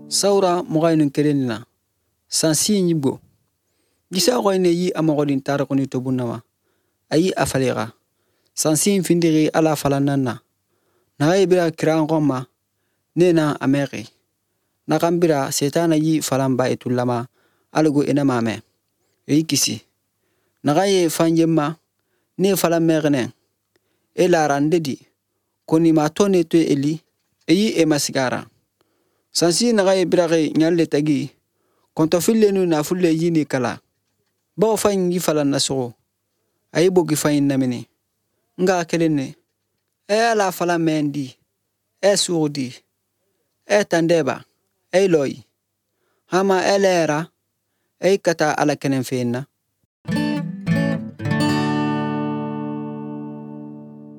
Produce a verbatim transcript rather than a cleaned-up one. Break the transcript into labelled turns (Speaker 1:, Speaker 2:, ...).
Speaker 1: Sawra mugan kelen na sansi ñibgo gisa xoyne yi a moxodin tarixuni tobunnama ayi a falixa sansi findixi ala falannan na naxaye bira kiranxonma ne na a mexi naxan bira setana yi falanba itullama alago enamame eyi kisi naxaye fanjenma ne falan mexinen e larande di konima to ne to eli eyi e masigara sansi naxaye biraxi ɲalle tagi kɔntɔfilenu nafulle yini kala bawo fayin yi falan nasogo ayi bogi fayin namini nga kelen ne e ala falan men di e sugu di e tandeba e loyi hama e lera e kata ala kenen fenna.